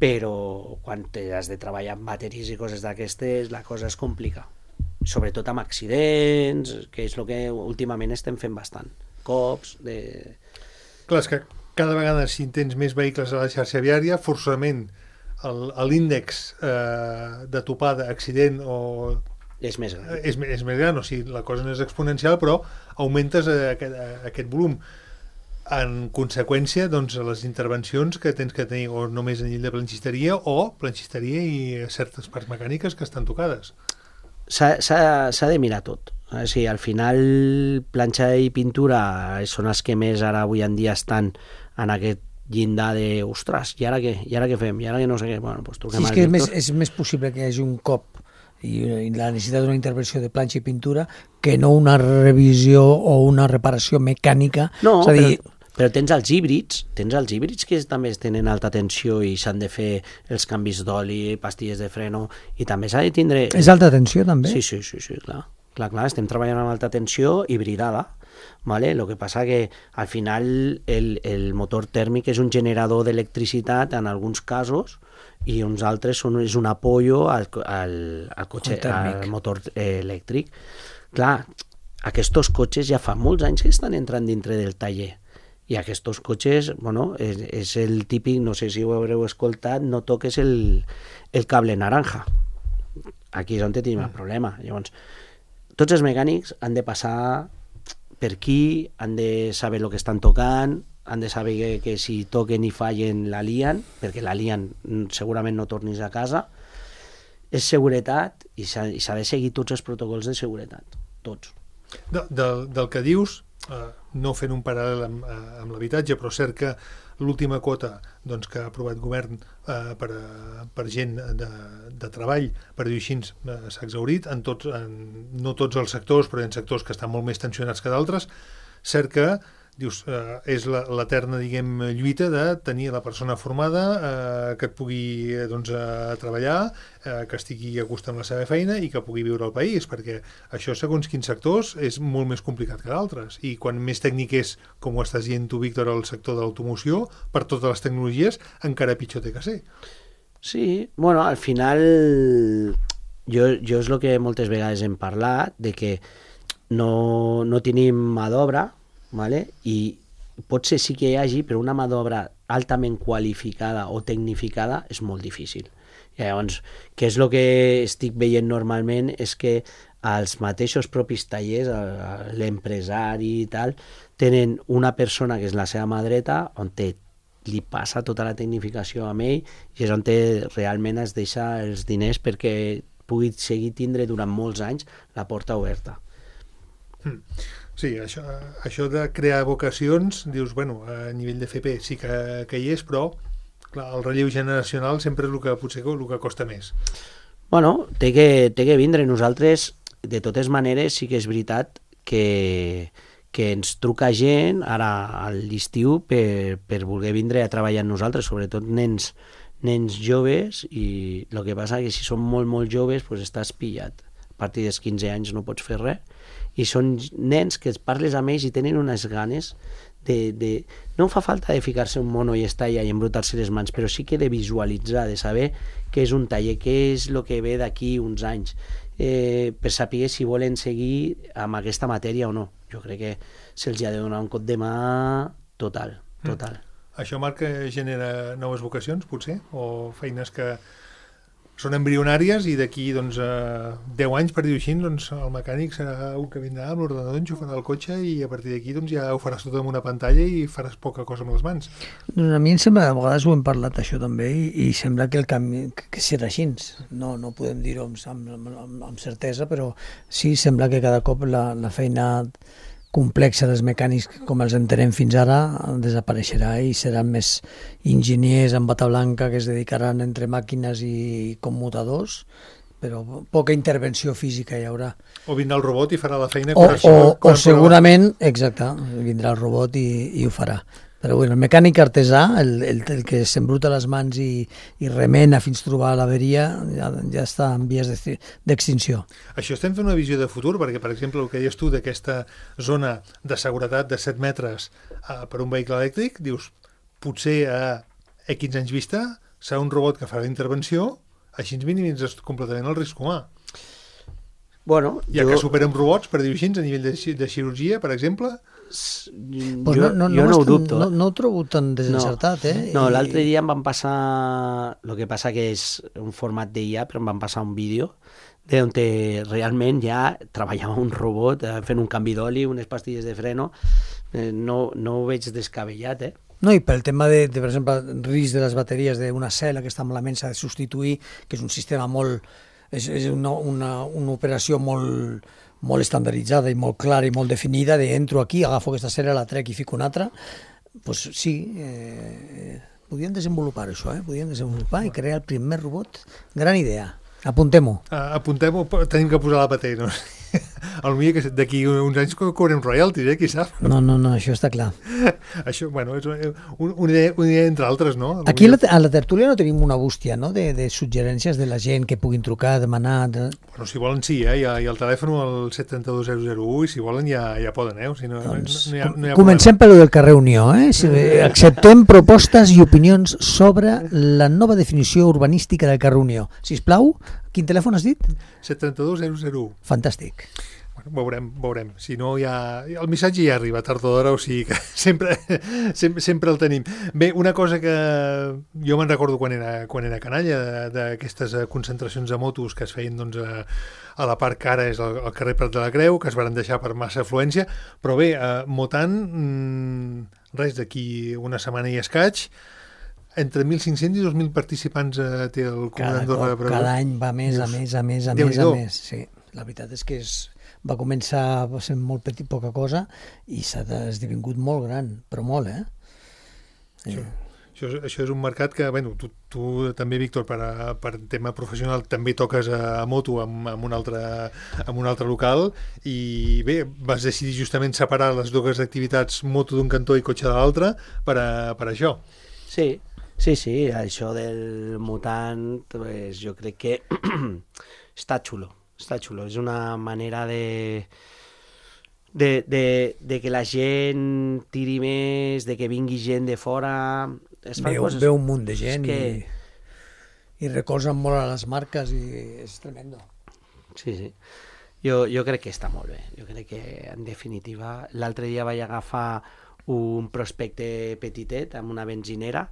Però quan has de treballar amb bateries i coses d'aquestes, la cosa es complica. Sobretot amb accidents, que és el que últimament estem fent bastant. Cops... Clar, és que cada vegada si tens més vehicles a la xarxa viària, forçament l'índex de topada, accident o... És més gran. És més gran, o sigui, la cosa no és exponencial, però augmentes aquest volum. En conseqüència, doncs, les intervencions que tens que tenir o només a nivell de planxisteria i certes parts mecàniques que estan tocades. S'ha de mirar tot. O sigui, al final, planxa i pintura són els que més ara avui en dia estan en aquest llindar de, ostres, i ara què? I ara què fem? I ara que no sé què? Bueno, doncs truquem al Víctor. És més possible que hi hagi un cop i la necessitat d'una intervenció de planxa i pintura que no una revisió o una reparació mecànica. No, és a dir, però tens els híbrids que també tenen alta tensió i s'han de fer els canvis d'oli, pastilles de freno, i també s'ha de tindre... És alta tensió també? Sí, clar. Clar, estem treballant amb alta tensió hibridada, ¿vale? Lo que passa que al final el motor tèrmic és un generador d'electricitat en alguns casos i uns altres és un apoyo al cotxe, al motor elèctric. Clar, aquests cotxes ja fa molts anys que estan entrant dintre del taller. I aquests cotxes, bueno, és el típic, no sé si ho haureu escoltat, no toques el cable naranja. Aquí és on tenim el problema. Llavors, tots els mecànics han de passar per aquí, han de saber el que estan tocant, han de saber que si toquen i fallen la lien, perquè la lien segurament no tornis a casa. És seguretat i s'ha de seguir tots els protocols de seguretat, tots. Del que dius, no fent un paral·lel amb l'habitatge, però cert que l'última quota doncs, que ha aprovat govern per gent de treball, per dir així, s'ha exhaurit, no tots els sectors, però en sectors que estan molt més tensionats que d'altres. Cert que dius, és l'eterna, diguem, lluita de tenir la persona formada que et pugui doncs, treballar, que estigui a gust amb la seva feina i que pugui viure al país, perquè això, segons quins sectors, és molt més complicat que d'altres. I quan més tècnic és, com ho estàs dient tu, Víctor, el sector de l'automoció, per totes les tecnologies, encara pitjor té que ser. Sí, bueno, al final jo és el que moltes vegades hem parlat, de que no tenim mà d'obra, ¿vale? I potser sí que hi hagi, però una mà d'obra altament qualificada o tecnificada és molt difícil. I llavors, què és el que estic veient normalment és que els mateixos propis tallers, l'empresari i tal, tenen una persona que és la seva mà dreta, on li passa tota la tecnificació amb ell i és on realment es deixa els diners perquè pugui seguir tindre durant molts anys la porta oberta. Sí, això de crear vocacions, dius, bueno, a nivell de FP sí que hi és, però clar, el relleu generacional sempre és el que potser el que costa més. Bueno, té que vindre. Nosaltres, de totes maneres, sí que és veritat que ens truca gent ara a l'estiu per voler vindre a treballar amb nosaltres, sobretot nens joves, i el que passa que si són molt joves pues estàs pillat. A partir dels 15 anys no pots fer res. I són nens que parles amb ells i tenen unes ganes no fa falta de ficar-se un mono i estar allà i embrutar-se les mans, però sí que de visualitzar, de saber què és un taller, què és el que ve d'aquí uns anys, per saber si volen seguir amb aquesta matèria o no. Jo crec que se'ls ha de donar un cop de mà total. Això, Marc, genera noves vocacions, potser? O feines que són embrionàries i d'aquí 10 anys, per dir-ho així, el mecànic serà un que vindrà amb l'ordenador, enxufarà el cotxe i a partir d'aquí ja ho faràs tot amb una pantalla i faràs poca cosa amb les mans. A mi em sembla, a vegades ho hem parlat això també, i sembla que el canvi que serà així. No podem dir-ho amb certesa, però sí, sembla que cada cop la feina complexa dels mecànics com els entenem fins ara desapareixerà i seran més enginyers amb bata blanca que es dedicaran entre màquines i commutadors, però poca intervenció física hi haurà. O vindrà el robot i farà la feina. O segurament, exacte, vindrà el robot i ho farà. Però bueno, el mecànic artesà, el que s'embruta les mans i remena fins trobar l'averia, ja està en vies d'extinció. Això estem fent una visió de futur, perquè, per exemple, el que deies tu d'aquesta zona de seguretat de 7 metres per un vehicle elèctric, dius, potser a X anys vista serà un robot que farà la intervenció, així ens minimitzes completament el risc humà. Bueno, que superem robots, per dir-ho així, a nivell de cirurgia, per exemple. Jo no ho dubto. No ho trobo tan desencertat, No, l'altre dia em van passar, el que passa que és un format d'IA, però em van passar un vídeo on realment ja treballava un robot fent un canvi d'oli, unes pastilles de freno. No ho veig descabellat, No, i pel tema de per exemple, risc de les bateries d'una cel·la que està malament s'ha de substituir, que és un sistema molt... és una operació molt estandarditzada i molt clara i molt definida, entro aquí, agafo aquesta cel·la, la trec i fico una altra, doncs sí, podien desenvolupar això, podien desenvolupar i crear el primer robot. Gran idea. Apuntem-ho. Apuntem-ho, tenim que posar la patent, no? Potser que d'aquí uns anys cobrem royalties, qui sap? No, això està clar. Això, bueno, és una idea entre altres, no? Aquí a la tertúlia no tenim una bústia, no?, de suggerències de la gent que puguin trucar, demanar... Bueno, si volen sí, hi ha el telèfon al 732-001 i si volen ja poden, Si no, doncs, no hi ha comencem per lo del carrer Unió, Si acceptem propostes i opinions sobre la nova definició urbanística del carrer Unió. Sisplau, quin telèfon has dit? 732-001. Fantàstic. Bueno, veurem. Si no, el missatge ja arriba tard o d'hora, o sigui que sempre el tenim. Bé, una cosa que jo me'n recordo quan era canalla, d'aquestes concentracions de motos que es feien a la part que ara és el carrer Prat de la Creu, que es van deixar per massa afluència, però bé, Motant, res, d'aquí una setmana i escaig, entre 1.500 i 2.000 participants té el Comú d'Andorra. Cada any va més, a més. Sí, la veritat és que va començar sent molt petit, poca cosa, i s'ha esdevingut molt gran, però molt, Això és un mercat que, bueno, tu també, Víctor, per tema professional també toques a moto amb un altre local i bé, vas decidir justament separar les dues activitats, moto d'un cantó i cotxe de l'altre, per això. Sí, això del mutant, pues, jo crec que està xulo, és una manera de que la gent tiri més, de que vingui gent de fora. Veu un munt de gent i recolzen molt a les marques i és tremendo. Sí. Jo crec que està molt bé, jo crec que en definitiva l'altre dia vaig agafar un prospecte petitet amb una benzinera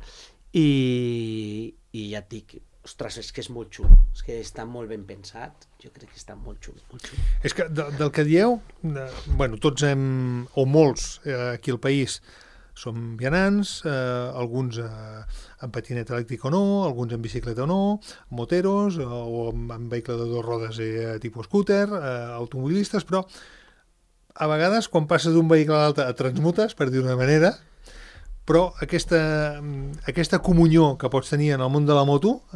i ja et dic, ostres, és que és molt xulo, és que està molt ben pensat, jo crec que està molt xulo. És que del que dieu, bueno, tots o molts aquí al país som vianants, alguns amb patinet elèctric o no, alguns amb bicicleta o no, moteros o amb vehicle de 2 rodes tipus scooter, automobilistes, però a vegades quan passes d'un vehicle a l'altre et transmutes, per dir d'una manera, però aquesta comunió que pots tenir en el món de la moto,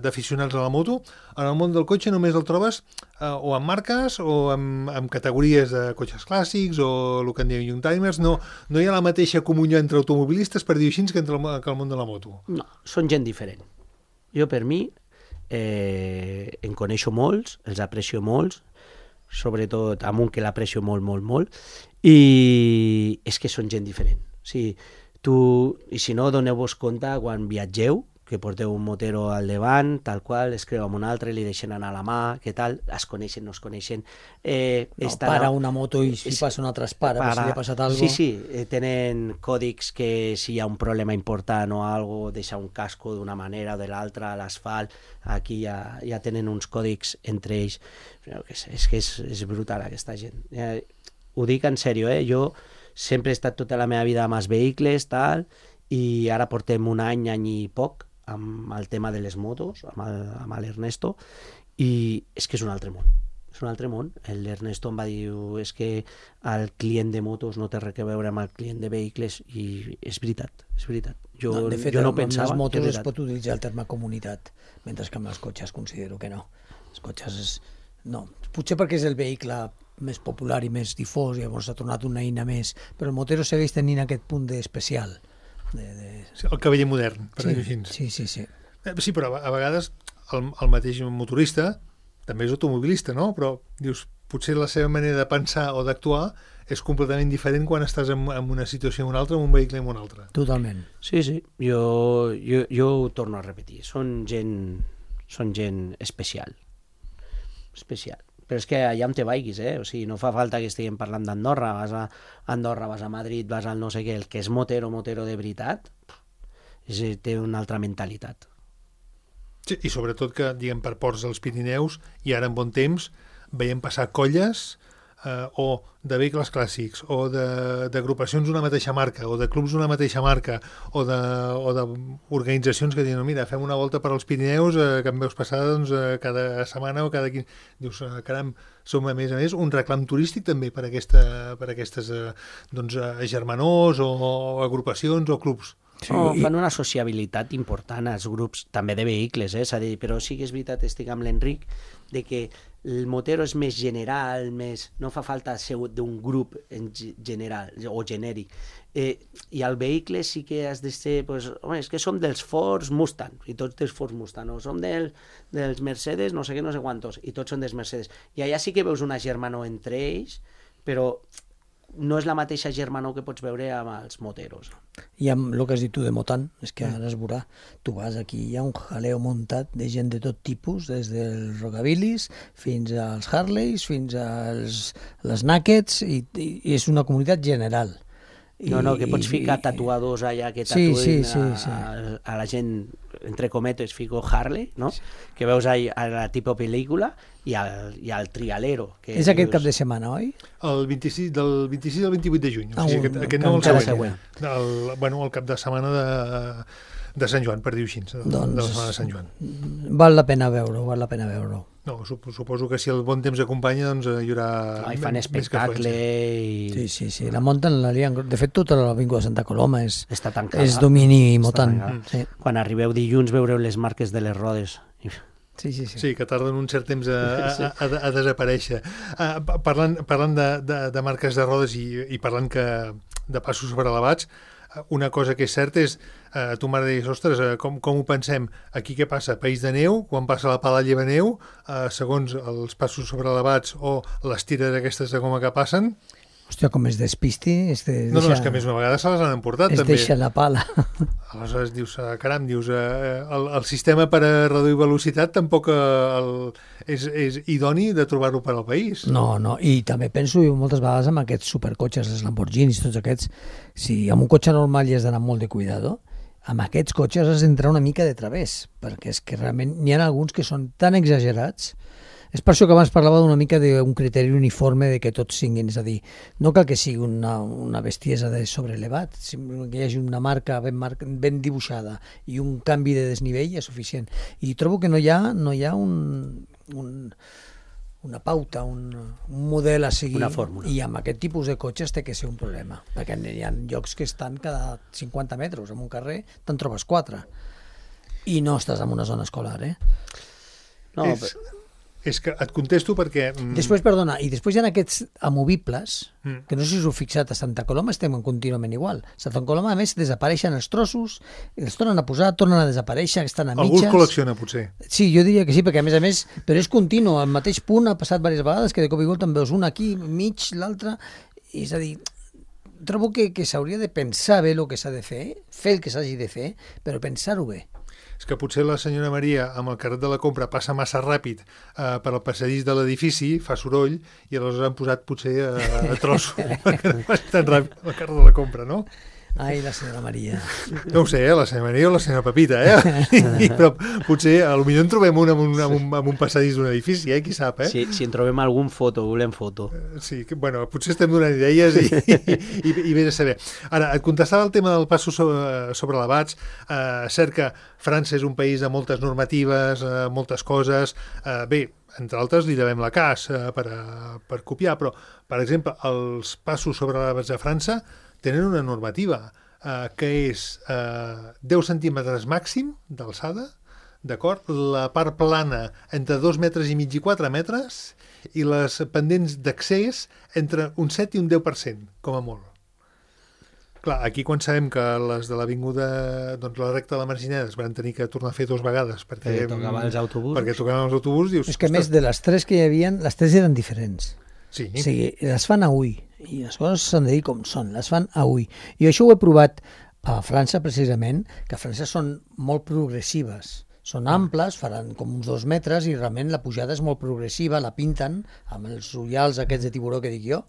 d'aficionats a la moto, en el món del cotxe només el trobes o amb marques o amb categories de cotxes clàssics o el que en diuen youngtimers. No hi ha la mateixa comunió entre automobilistes, per dir-ho així, que el món de la moto. No, són gent diferent. Jo, per mi, en coneixo molts, els aprecio molts, sobretot amb un que l'aprecio molt, i és que són gent diferent. O sigui, i si no, doneu-vos compte quan viatgeu, que porteu un motero al davant, tal qual, es creu amb un altre, li deixen anar la mà, què tal, es coneixen, no es coneixen. Para una moto i si passa una altra es para, si li ha passat alguna cosa. Sí, tenen còdics que si hi ha un problema important o alguna cosa, deixa un casco d'una manera o de l'altra a l'asfalt, aquí ja tenen uns còdics entre ells. És que és brutal aquesta gent. Ho dic en sèrio, jo sempre he estat tota la meva vida amb els vehicles, tal, i ara portem un any i poc amb el tema de les motos, amb l'Ernesto, i és que és un altre món. És un altre món. L'Ernesto em va dir, és que el client de motos no té res a veure amb el client de vehicles, i és veritat, és veritat. Jo no pensava... Amb les motos es pot utilitzar el terme comunitat, mentre que amb els cotxes considero que no. Els cotxes no. Potser perquè és el vehicle més popular i més difós, i llavors s'ha tornat una eina més, però el motero segueix tenint aquest punt d'especial. Sí, el cavaller modern, per dir-ho així. Sí. Sí, però a vegades el mateix motorista també és automobilista, no? Però dius, potser la seva manera de pensar o d'actuar és completament diferent quan estàs en una situació o en una altra, en un vehicle o en un altre. Totalment. Sí. Jo ho torno a repetir. Són gent especial. Però és que allà on te vaiguis, o sigui, no fa falta que estiguem parlant d'Andorra, vas a Andorra, vas a Madrid, vas al no sé què, el que és motero de veritat, té una altra mentalitat. Sí, i sobretot que, diguem, per ports dels Pirineus, i ara en bon temps, veiem passar colles o de vehicles clàssics, o d'agrupacions d'una mateixa marca, o de clubs d'una mateixa marca, o d'organitzacions que diuen, mira, fem una volta per als Pirineus que em veus passar doncs, cada setmana o cada 15... Dius, caram, som a més un reclam turístic també per aquestes germanors o agrupacions o clubs. Sí, fan una sociabilitat important als grups també de vehicles, és a dir, però sí que és veritat, estic amb l'Enric, de que el motero és més general, no fa falta ser d'un grup en general o genèric, i al vehicle sí que has de ser, és que som dels Ford Mustang, i tots dels Ford Mustang, o som dels Mercedes, no sé què, no sé quantos, i tots són dels Mercedes. I allà sí que veus una germanor entre ells, però no és la mateixa germanor que pots veure amb els moteros. I amb el que has dit tu de Motan, és que ara es veurà, tu vas aquí, hi ha un jaleo muntat de gent de tot tipus, des dels rockabilis fins als Harleys, fins als les Nakeds, i és una comunitat general. No, que pots ficar tatuadors allà que tatuïn a la gent, entre cometes, fico Harley, no? Sí. Que veus a la tipus pel·lícula, i al trialero. És aquest cap de setmana, oi? Del 26 al 28 de juny. O sigui, aquest no el següent. El cap de setmana de Sant Joan, per dir-ho així, de la setmana de Sant Joan. Val la pena veure-ho. No, suposo que si el bon temps acompanya, doncs hi haurà... Hi fan espectacle i... Sí, la munten, la lien. De fet, tota l'Avinguda de Santa Coloma està tancada. És domini Motan. Sí. Quan arribeu dilluns veureu les marques de les rodes. Sí, que tarden un cert temps a desaparèixer. Parlant de marques de rodes i parlant de passos sobrelevats, una cosa que és certa és, tu m'has de dir, ostres, com ho pensem? Aquí què passa? País de neu, quan passa la pala lleva neu, segons els passos sobrelevats o les tires aquestes de goma que passen... Hòstia, com es despisti... És que a més una vegada se les han emportat, també. Es deixa la pala. Aleshores dius, caram, el sistema per a reduir velocitat tampoc és idoni de trobar-ho per al país. No, i també penso moltes vegades amb aquests supercotxes, els Lamborghinis, tots aquests, si amb un cotxe normal hi has d'anar molt de cuidado, amb aquests cotxes has d'entrar una mica de través, perquè és que realment n'hi ha alguns que són tan exagerats. És per això que abans parlava d'una mica d'un criteri uniforme de que tots siguin, és a dir, no cal que sigui una bestiesa de sobrelevat, que hi hagi una marca ben dibuixada i un canvi de desnivell és suficient. I trobo que no hi ha una pauta, un model a seguir, una fórmula. I amb aquest tipus de cotxes té que ser un problema, perquè hi ha llocs que estan cada 50 metres en un carrer, te'n trobes 4 i no estàs en una zona escolar, No, És que et contesto perquè... Després hi ha aquests amovibles, que no sé si us heu fixat, a Santa Coloma estem contínuament igual. A Santa Coloma, a més, desapareixen els trossos, els tornen a posar, tornen a desaparèixer, estan a mitges... Algú els col·lecciona, potser. Sí, jo diria que sí, perquè a més, però és continu, al mateix punt ha passat diverses vegades, que de cop i volta en veus un aquí, mig, l'altre, és a dir, trobo que s'hauria de pensar bé el que s'ha de fer el que s'hagi de fer, però pensar-ho bé. és que potser la senyora Maria amb el carret de la compra passa massa ràpid per al passadís de l'edifici, fa soroll, i aleshores han posat potser a trossos perquè no passi tan ràpid el carret de la compra, no? Ai, la senyora Maria. No ho sé, la senyora Maria o la senyora Pepita, però potser potser en trobem un amb un passadís d'un edifici, qui sap, Si en trobem algun foto, volem foto. Sí, bueno, potser estem donant idees i vés a saber. Ara, et contestava el tema del passo sobre lavats. Cert que França és un país de moltes normatives, moltes coses. Bé, entre altres li devem la cas per copiar, però, per exemple, els passos sobre lavats de França tenen una normativa que és 10 centímetres màxim d'alçada, d'acord? La part plana entre 2 metres i mig i 4 metres i les pendents d'accés entre un 7 i un 10%, com a molt. Clar, aquí quan sabem que les de l'avinguda, doncs la recta de la Margineda es van tenir que tornar a fer 2 vegades perquè tocaven els autobusos. Perquè tocaven els autobusos, dius... És que a més de les 3 que hi havia, les 3 eren diferents. Sí. O sigui, les fan a ull, i les coses s'han de dir com són, les fan a ull. I això ho he provat a França, precisament, que a França són molt progressives. Són amples, faran com uns 2 metres, i realment la pujada és molt progressiva, la pinten amb els ullals aquests de tiburó que dic jo,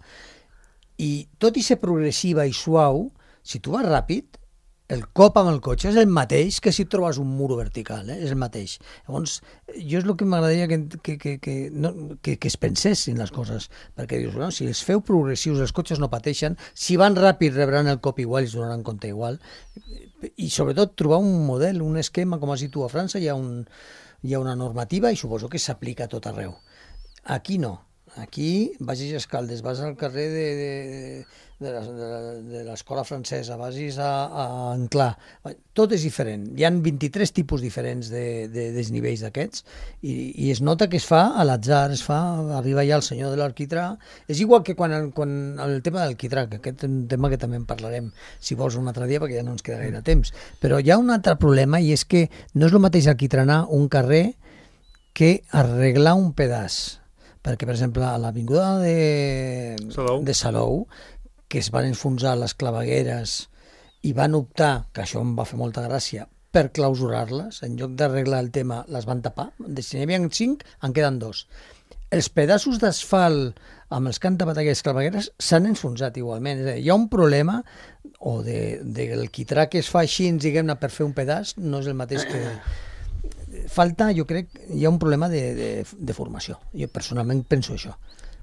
i tot i ser progressiva i suau, si tu vas ràpid, el cop amb el cotxe és el mateix que si et trobes un muro vertical, és el mateix. Llavors, jo és el que m'agradaria que es pensessin les coses, perquè dius, bueno, si els feu progressius, els cotxes no pateixen, si van ràpid rebran el cop igual i es donaran compte igual, i sobretot trobar un model, un esquema, com has dit tu a França, hi ha una normativa i suposo que s'aplica a tot arreu. Aquí no. Aquí vagis a Escaldes, vas al carrer de l'escola francesa, vagis a Anclà, tot és diferent. Hi ha 23 tipus diferents de desnivells d'aquests i es nota que es fa a l'atzar, arriba ja el senyor de l'arquitrà. És igual que quan el tema del quitrà, que aquest és un tema que també en parlarem si vols un altre dia perquè ja no ens queda gaire temps. Però hi ha un altre problema i és que no és el mateix alquitranar un carrer que arreglar un pedaç. Perquè, per exemple, a l'avinguda de Salou, que es van enfonsar les clavegueres i van optar, que això em va fer molta gràcia, per clausurar-les, en lloc d'arreglar el tema, les van tapar. Si n'hi havia 5, en queden 2. Els pedaços d'asfalt amb els que han tapat aquestes clavegueres s'han enfonsat igualment. És a dir, hi ha un problema, o del quitrà que es fa així, diguem-ne, per fer un pedaç, no és el mateix que... Falta, jo crec, hi ha un problema de formació. Jo personalment penso això.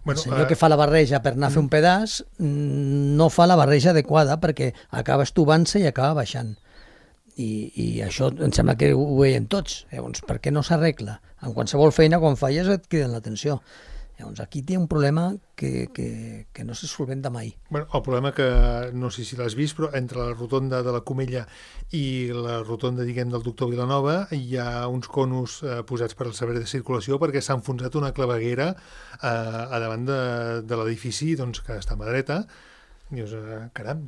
El senyor que fa la barreja per anar a fer un pedaç no fa la barreja adequada perquè acaba estuvant-se i acaba baixant. I això em sembla que ho veiem tots. Llavors, per què no s'arregla? En qualsevol feina, quan falles, et criden l'atenció. Llavors, aquí té un problema que no se solventa mai. Bueno, el problema que, no sé si l'has vist, però entre la rotonda de la Comella i la rotonda, diguem, del Doctor Vilanova hi ha uns conos posats per al servei de circulació perquè s'ha enfonsat una claveguera a davant de l'edifici, doncs, que està a mà dreta. Dius, caram,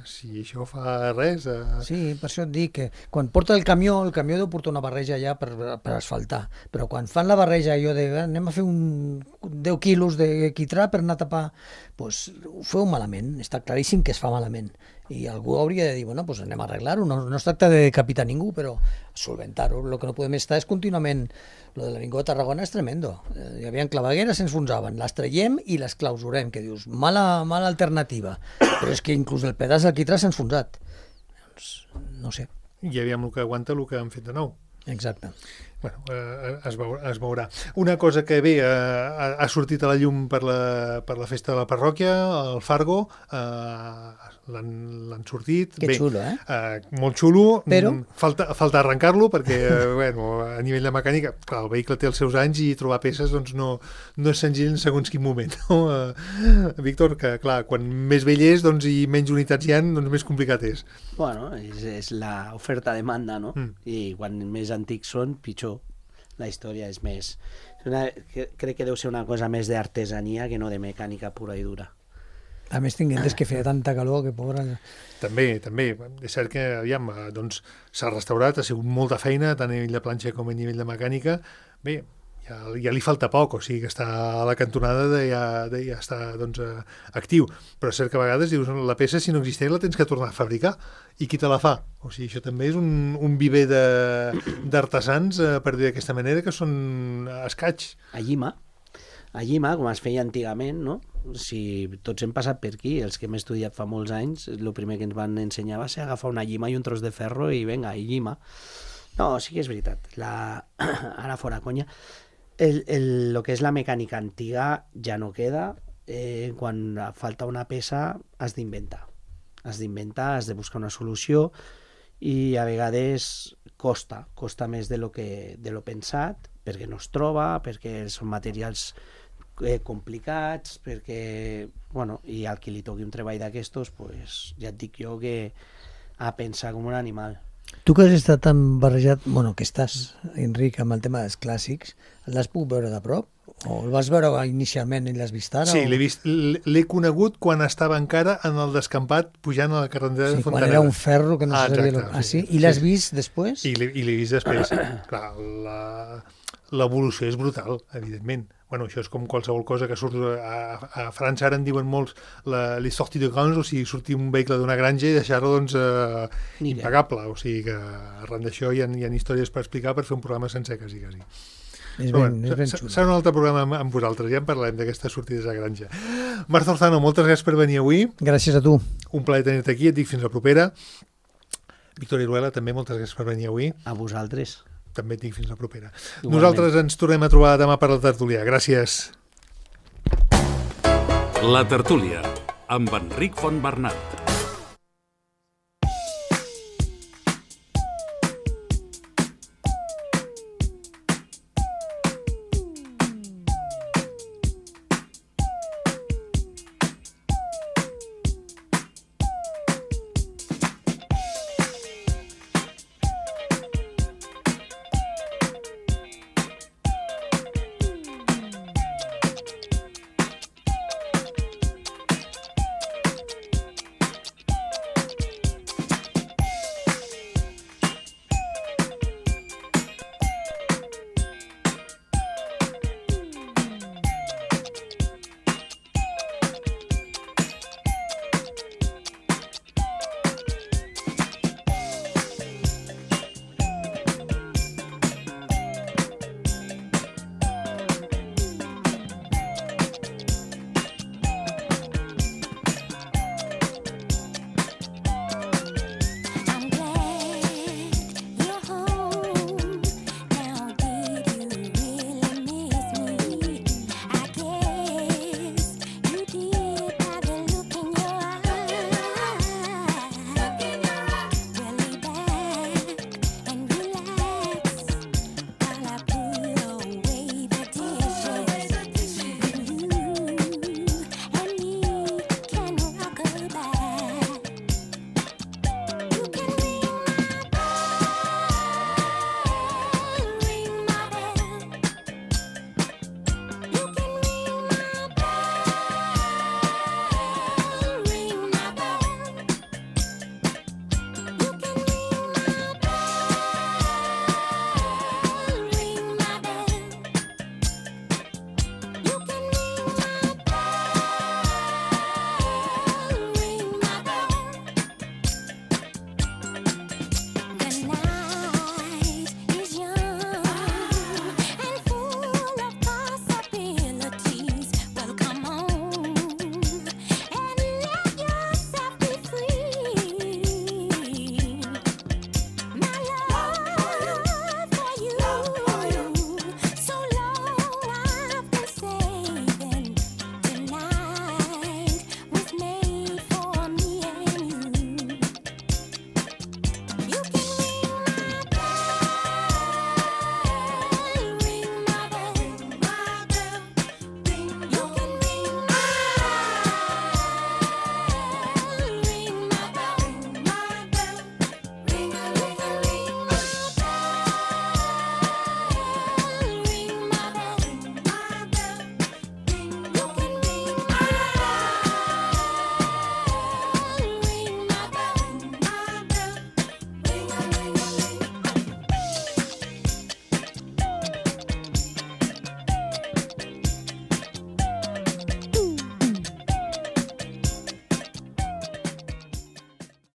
si això fa res... Sí, per això et dic que quan porta el camió deu portar una barreja ja per asfaltar, però quan fan la barreja allò de anem a fer 10 quilos de quitrà per anar a tapar, doncs ho feu malament, està claríssim que es fa malament. I algú hauria de dir, bueno, doncs anem a arreglar-ho, no es tracta de decapitar ningú, però solventar-ho. El que no podem estar és contínuament... Lo de l'Avinguda de Tarragona és tremendo. Hi havia clavegueres, s'enfonsaven, les traiem i les clausurem, que dius, mala alternativa. Però és que inclús el pedaç del quitrà s'ha enfonsat. Doncs, no sé. I aviam el que aguanta el que han fet de nou. Exacte. Bueno, es veurà. Una cosa que bé, ha sortit a la llum per la festa de la parròquia, el Fargo, l'han sortit. Que bé, xulo, molt xulo. Però... Falta arrencar-lo perquè, bueno, a nivell de mecànica, clar, el vehicle té els seus anys i trobar peces doncs, no és senzill en segons quin moment. No? Víctor, que clar, quan més vell és doncs, i menys unitats hi ha, doncs més complicat és. Bueno, és l'oferta-demanda, no? I quan més antics són, pitjor. La història és més... crec que deu ser una cosa més d'artesania que no de mecànica pura i dura. A més, tinc entès que feia tanta calor que pobra... També. És cert que, aviam, doncs s'ha restaurat, ha sigut molta feina, tant a nivell de planxa com a nivell de mecànica. Bé, hi ja li falta poc, o sigui que està a la cantonada ja està doncs, actiu, però és cert que a vegades dius la peça si no existeix la tens que tornar a fabricar i qui te la fa? O sigui, això també és un viver d'artesans, per dir d'aquesta manera, que són escaig. A llima, com es feia antigament, no? Si tots hem passat per aquí, els que hem estudiat fa molts anys, el primer que ens van ensenyar va ser agafar una llima i un tros de ferro i vinga, i llima. No, sí que és veritat. Ara fora conya. El que és la mecànica antiga ja no queda. Quan falta una peça has d'inventar. Has de buscar una solució i a vegades costa més de lo pensat, perquè no es troba, perquè són materials complicats, perquè, bueno, i al qui li toqui un treball d'aquestos, pues, ja et dic jo que a pensar com un animal. Tu que has estat tan barrejat, bueno, que estàs, Enric, amb el tema dels clàssics, l'has pogut veure de prop? O el vas veure inicialment i l'has vist ara? Sí, l'he conegut quan estava encara en el descampat pujant a la carretera de Fontaneda. Quan era un ferro que no se sabia... Sí. I l'has vist després? I l'he vist després. Clar, l'evolució és brutal, evidentment. Bueno, això és com qualsevol cosa que surt a França, ara en diuen molts les sorties de grange, o sigui, sortir un vehicle d'una granja i deixar-lo doncs, impagable, o sigui que arran d'això hi ha històries per explicar per fer un programa sencer, quasi. És ben xulo. Serà un altre programa amb vosaltres, ja en parlarem d'aquestes sortides a granja. Marc Zorzano, moltes gràcies per venir avui. Gràcies a tu. Un plaer tenir-te aquí, et dic fins la propera. Víctor Iruela, també moltes gràcies per venir avui. A vosaltres. També et dic fins la propera. Igualment. Nosaltres ens tornem a trobar demà per la tertúlia. Gràcies. La tertúlia, amb Enric Fontbernat.